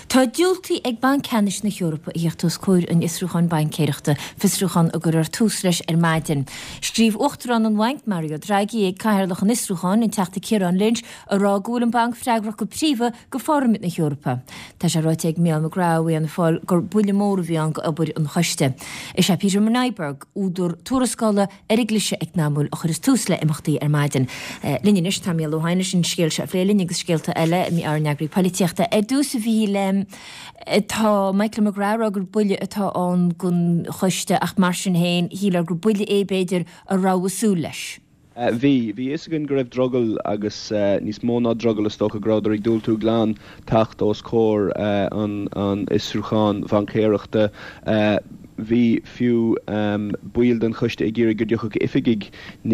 Tá diúltaithe ag Banc Ceannais na hEorpa a theacht os comhair an fhiosrúcháin baincéireachta, fiosrúchán a gcuirfear tús leis ar maidin. Scríobh Uachtarán an Bhainc, Mario Draghi, ag Cathaoirleach an fhiosrúcháin, an Teachta Ciarán Lynch, a rá go bhfuil an banc freagrach go príomha go Pharlaimint na hEorpa. Tá sé ráite ag Mícheál McGrath ó Fhianna Fáil gur buille mór a bhí ann d'obair an choiste. Is é Peter Meiberg, údar tuarascála ar an gcliseadh eacnamúil a chuireas tús le imeachtaí ar maidin. Linn anois tá Mícheál Ó hEidhin leis an scéal seo a phlé linn agus scéalta eile, ár n-eagraí poilitíochta. Ar dtús a Mhíchíl, tá Michael McGrath ag rá gur buille atá ann don choiste ach mar sin féin, shílfeá gur buille é b'fhéidir a rabhthas ag súil leis. Bhí. Bhí a fhios againn go raibh drogall agus níos mó ná drogall is dócha go rabhadar ag diúltú glan teacht os comhair an fhiosrúcháin bhaincéireachta. Bhí fiú baill den choiste ag iarraidh go dtiocfadh oifigigh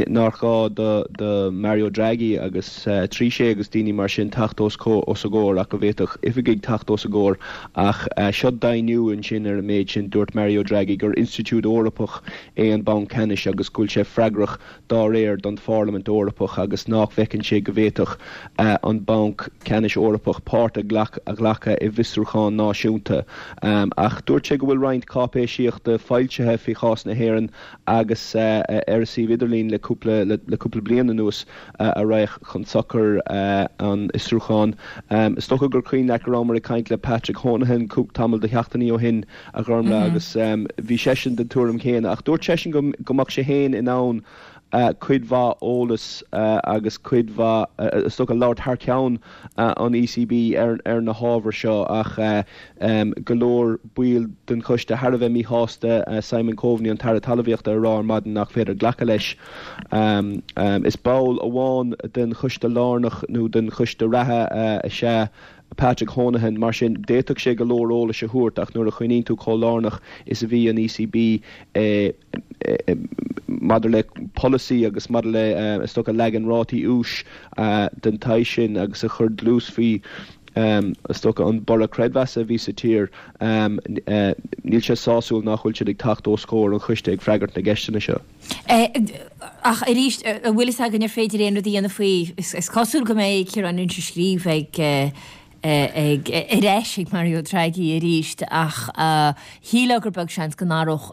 nár ghá do Mario Draghi agus Trichet agus daoine mar sin teacht os os a gcomhair ach go bhféadfadh oifigigh teacht os a gcomhair. Ach seo deimhniú ansin ar an méid sin. Dúirt Mario Draghi gur institiúid Eorpach é an Banc Ceannais agus go bhfuil sé freagrach dá réir don Pharlaimint Eorpach agus nach bhfeiceann sé go bhféadfadh an Banc Ceannais Eorpach páirt a ghlacadh i bhfiosrúchán náisiúnta. Ach dúirt sé go bhfuil roinnt cáipéisíochta foilsithe faoi chás na hÉireann agus ar a suíomh idirlín le cúpla le cúpla bliain anuas a raghadh chun sochair an fhiosrúcháin. Is dócha gur cuimhin leat go rabhamar ag caint le Patrick Honohan tamall de sheachtainí ó shin a Ghormlaith agus bhí seisean den tuairim chéanna ach dúirt seisean go go mbeadh sé féin in ann cuid mhaith eolas agus cuid mhaith is dócha labhairt thar ceann an ECB ar ar na hábhair seo ach go leor baill den choiste thar a bheith míshásta Simon Coveney an tAire Talmhaíochta a rá ar maidin nach féidir glacadh leis. Is ball amháin den choiste lárnach nó den choiste reatha is ea Patrick Honohan, Mar sin, d'fhéadfadh sé go leor eolais a thabhairt ach nuair a chuimhníonn tú chomh lárnach is a bhí an ECB maidir le polasaí agus maidir le, is dócha, leagan rátaí úis den tsaghas sin agus a chuir dlús faoi, is dócha, an borradh creidmheasa a bhí sa tír, níl sé sásúil nach bhfuil siad ag teacht os comhair an choiste ag freagairt na gceisteanna seo. Ach arís, an bhfuil fhios againn ar féidir aon rud a dhéanamh faoi? Is cosúil go mbeidh Ciarán Lynch ag scríobh ag ag ar ais ag Mario Draghi arís ach shílfeá gur beag seans go n-athródh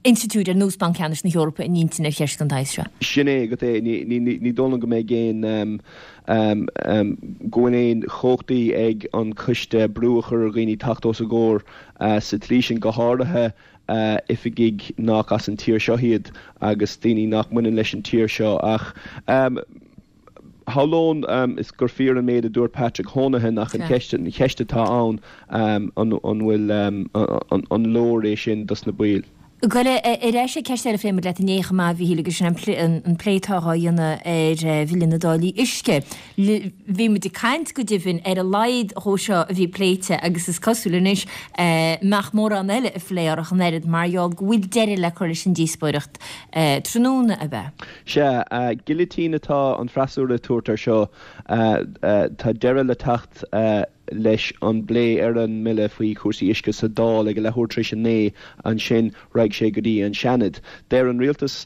institiúid ar nós Banc Ceannais na hEorpa a n-intinn ar cheist den tsaghas seo. Sin é agat é. Ní dóigh liom go mbeidh aon go bhfuil aon chumhachtaí ag an choiste brú a chur ar dhaoine teacht os a gcomhair sa tslí sin, go háirithe oifigigh nach as an tír seo iad agus daoine nach mbaineann leis an tír seo ach shamhlóinn is gur fíor an méid a dúirt Patrick Honohan ach an cheist an cheist atá ann an an bhfuil an leor é sin dos na baill. Gabh ar ais ag ceist eile a phléigh muid leat inné chomh maith, a Mhíchíl, agus sin an plé atá á dhéanamh ar Bhille na dTáillí Uisce. Bhí muid ag caint go deimhin ar a laghad dhó seo a bhí pléite agus is cosúil anois nach mórán eile a phléifear ach an oiread mar gheall go bhfuil deireadh le cur leis an díospóireacht tráthnóna, ab ea? Sea, gilitín atá an freasúra ag tabhairt air seo. Tá deireadh le teacht leis an bplé ar an mbille faoi chúrsaí uisce sa Dáil ag a leathuair tar éis a 9, ansin raghaidh sé go dtí an Seanad. Deir an Rialtas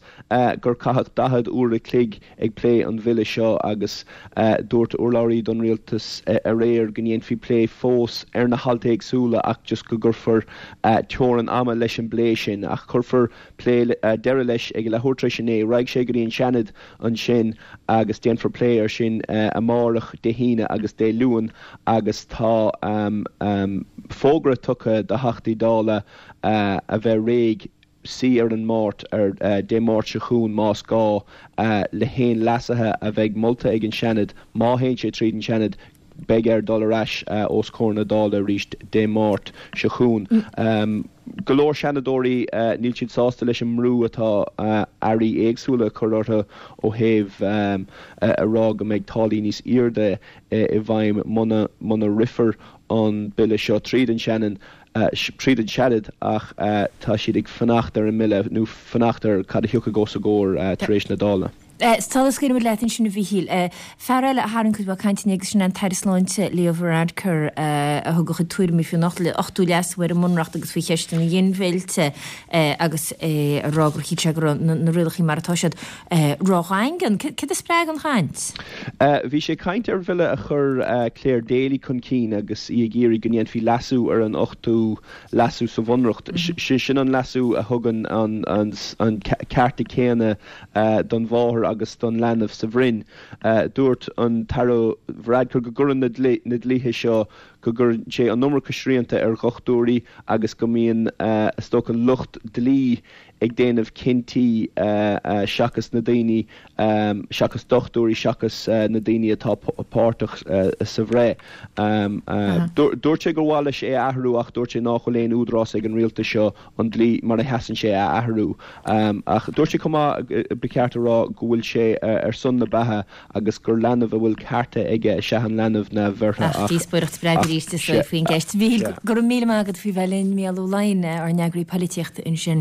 gur caitheadh 40 uair a chloig ag plé an bhille seo agus dúirt urlabhraí don rialtas aréir go ndéanfaí plé fós ar na hailt éagsúla ach just go gcuirfear teorainn ama leis an bplé sin. Ach cuirfear plé deireadh leis ag a leathuair tar éis a 9. Raghaidh sé go dtí an Seanad ansin agus déanfar plé air sin amárach, Dé hAoine agus Dé Luain agus tá fógra tugtha do Theachtaí Dála a bheith réidh suí ar an Máirt, ar Dé Máirt seo chugainn más gá, le haon leasuithe a bheidh molta ag an Seanad. Má théann sé tríd an Seanad, beidh air dul ar ais os comhair na Dála arís Dé Máirt seo chugainn. Go leor Seanadóirí, níl siad sásta leis an mbrú atá airí éagsúla ag cur orthu ó thaobh a rá go mbeidh táillí níos airde i bhfeidhm muna rithfear an bille seo tríd an Seanad. tríd an Seanad ach tá siad ag fanacht ar an mbille nó fanacht ar cad a thiocfaidh os a gcomhair tar éis na Dála. Sula scaoilimid leat ansin a Mhíchíl, fear eile a tharraing cuid mhaith cainte inné agus sin an tAire Sláinte Leo Varadkar a thug a chuid tuairimí faoin ochtú leasú ar an mBunreacht agus faoi cheist an ghinmhillte agus é ag rá gur shíl sé go raibh na rialacha mar atá siad ródhaingean. Céard a spreag an chaint? Bhí sé ag caint ar bhille a chuir Clare Daly chun cinn agus í ag iarraidh go ndéanfaí leasú ar an ochtú leasú sa Bhunreacht. Sin an leasú a thugann an cearta céanna don mháthair agus don leanbh sa bhroinn. Dúirt an tAire Varadkar go gcuireann na dlíthe seo, go gcuireann sé an iomarca srianta ar dhochtúirí agus go mbíonn, is dócha, lucht dlí ag déanamh cinntí seachas na daoine, seachas dochtúirí, seachas na daoine atá páirteach sa bhreith. Dúirt sé gur mhaith leis é a athrú ach dúirt sé nách bhfuil aon údarás ag an rialtas seo an dlí mar a sheasann sé a athrú. Ach dúirt sé chomh maith, ba cheart a rá, go bhfuil sé ar son na beatha agus gur leanbh a bhfuil cearta aige is ea an leanbh neamhbheirthe ach. Díospóireacht bhreá arís is dóigh faoin gceist. Mhíchíl, go raibh míle maith agat faoi bheith linn, Mícheál Ó Laighin, ár n-eagraí polaitíochta ansin.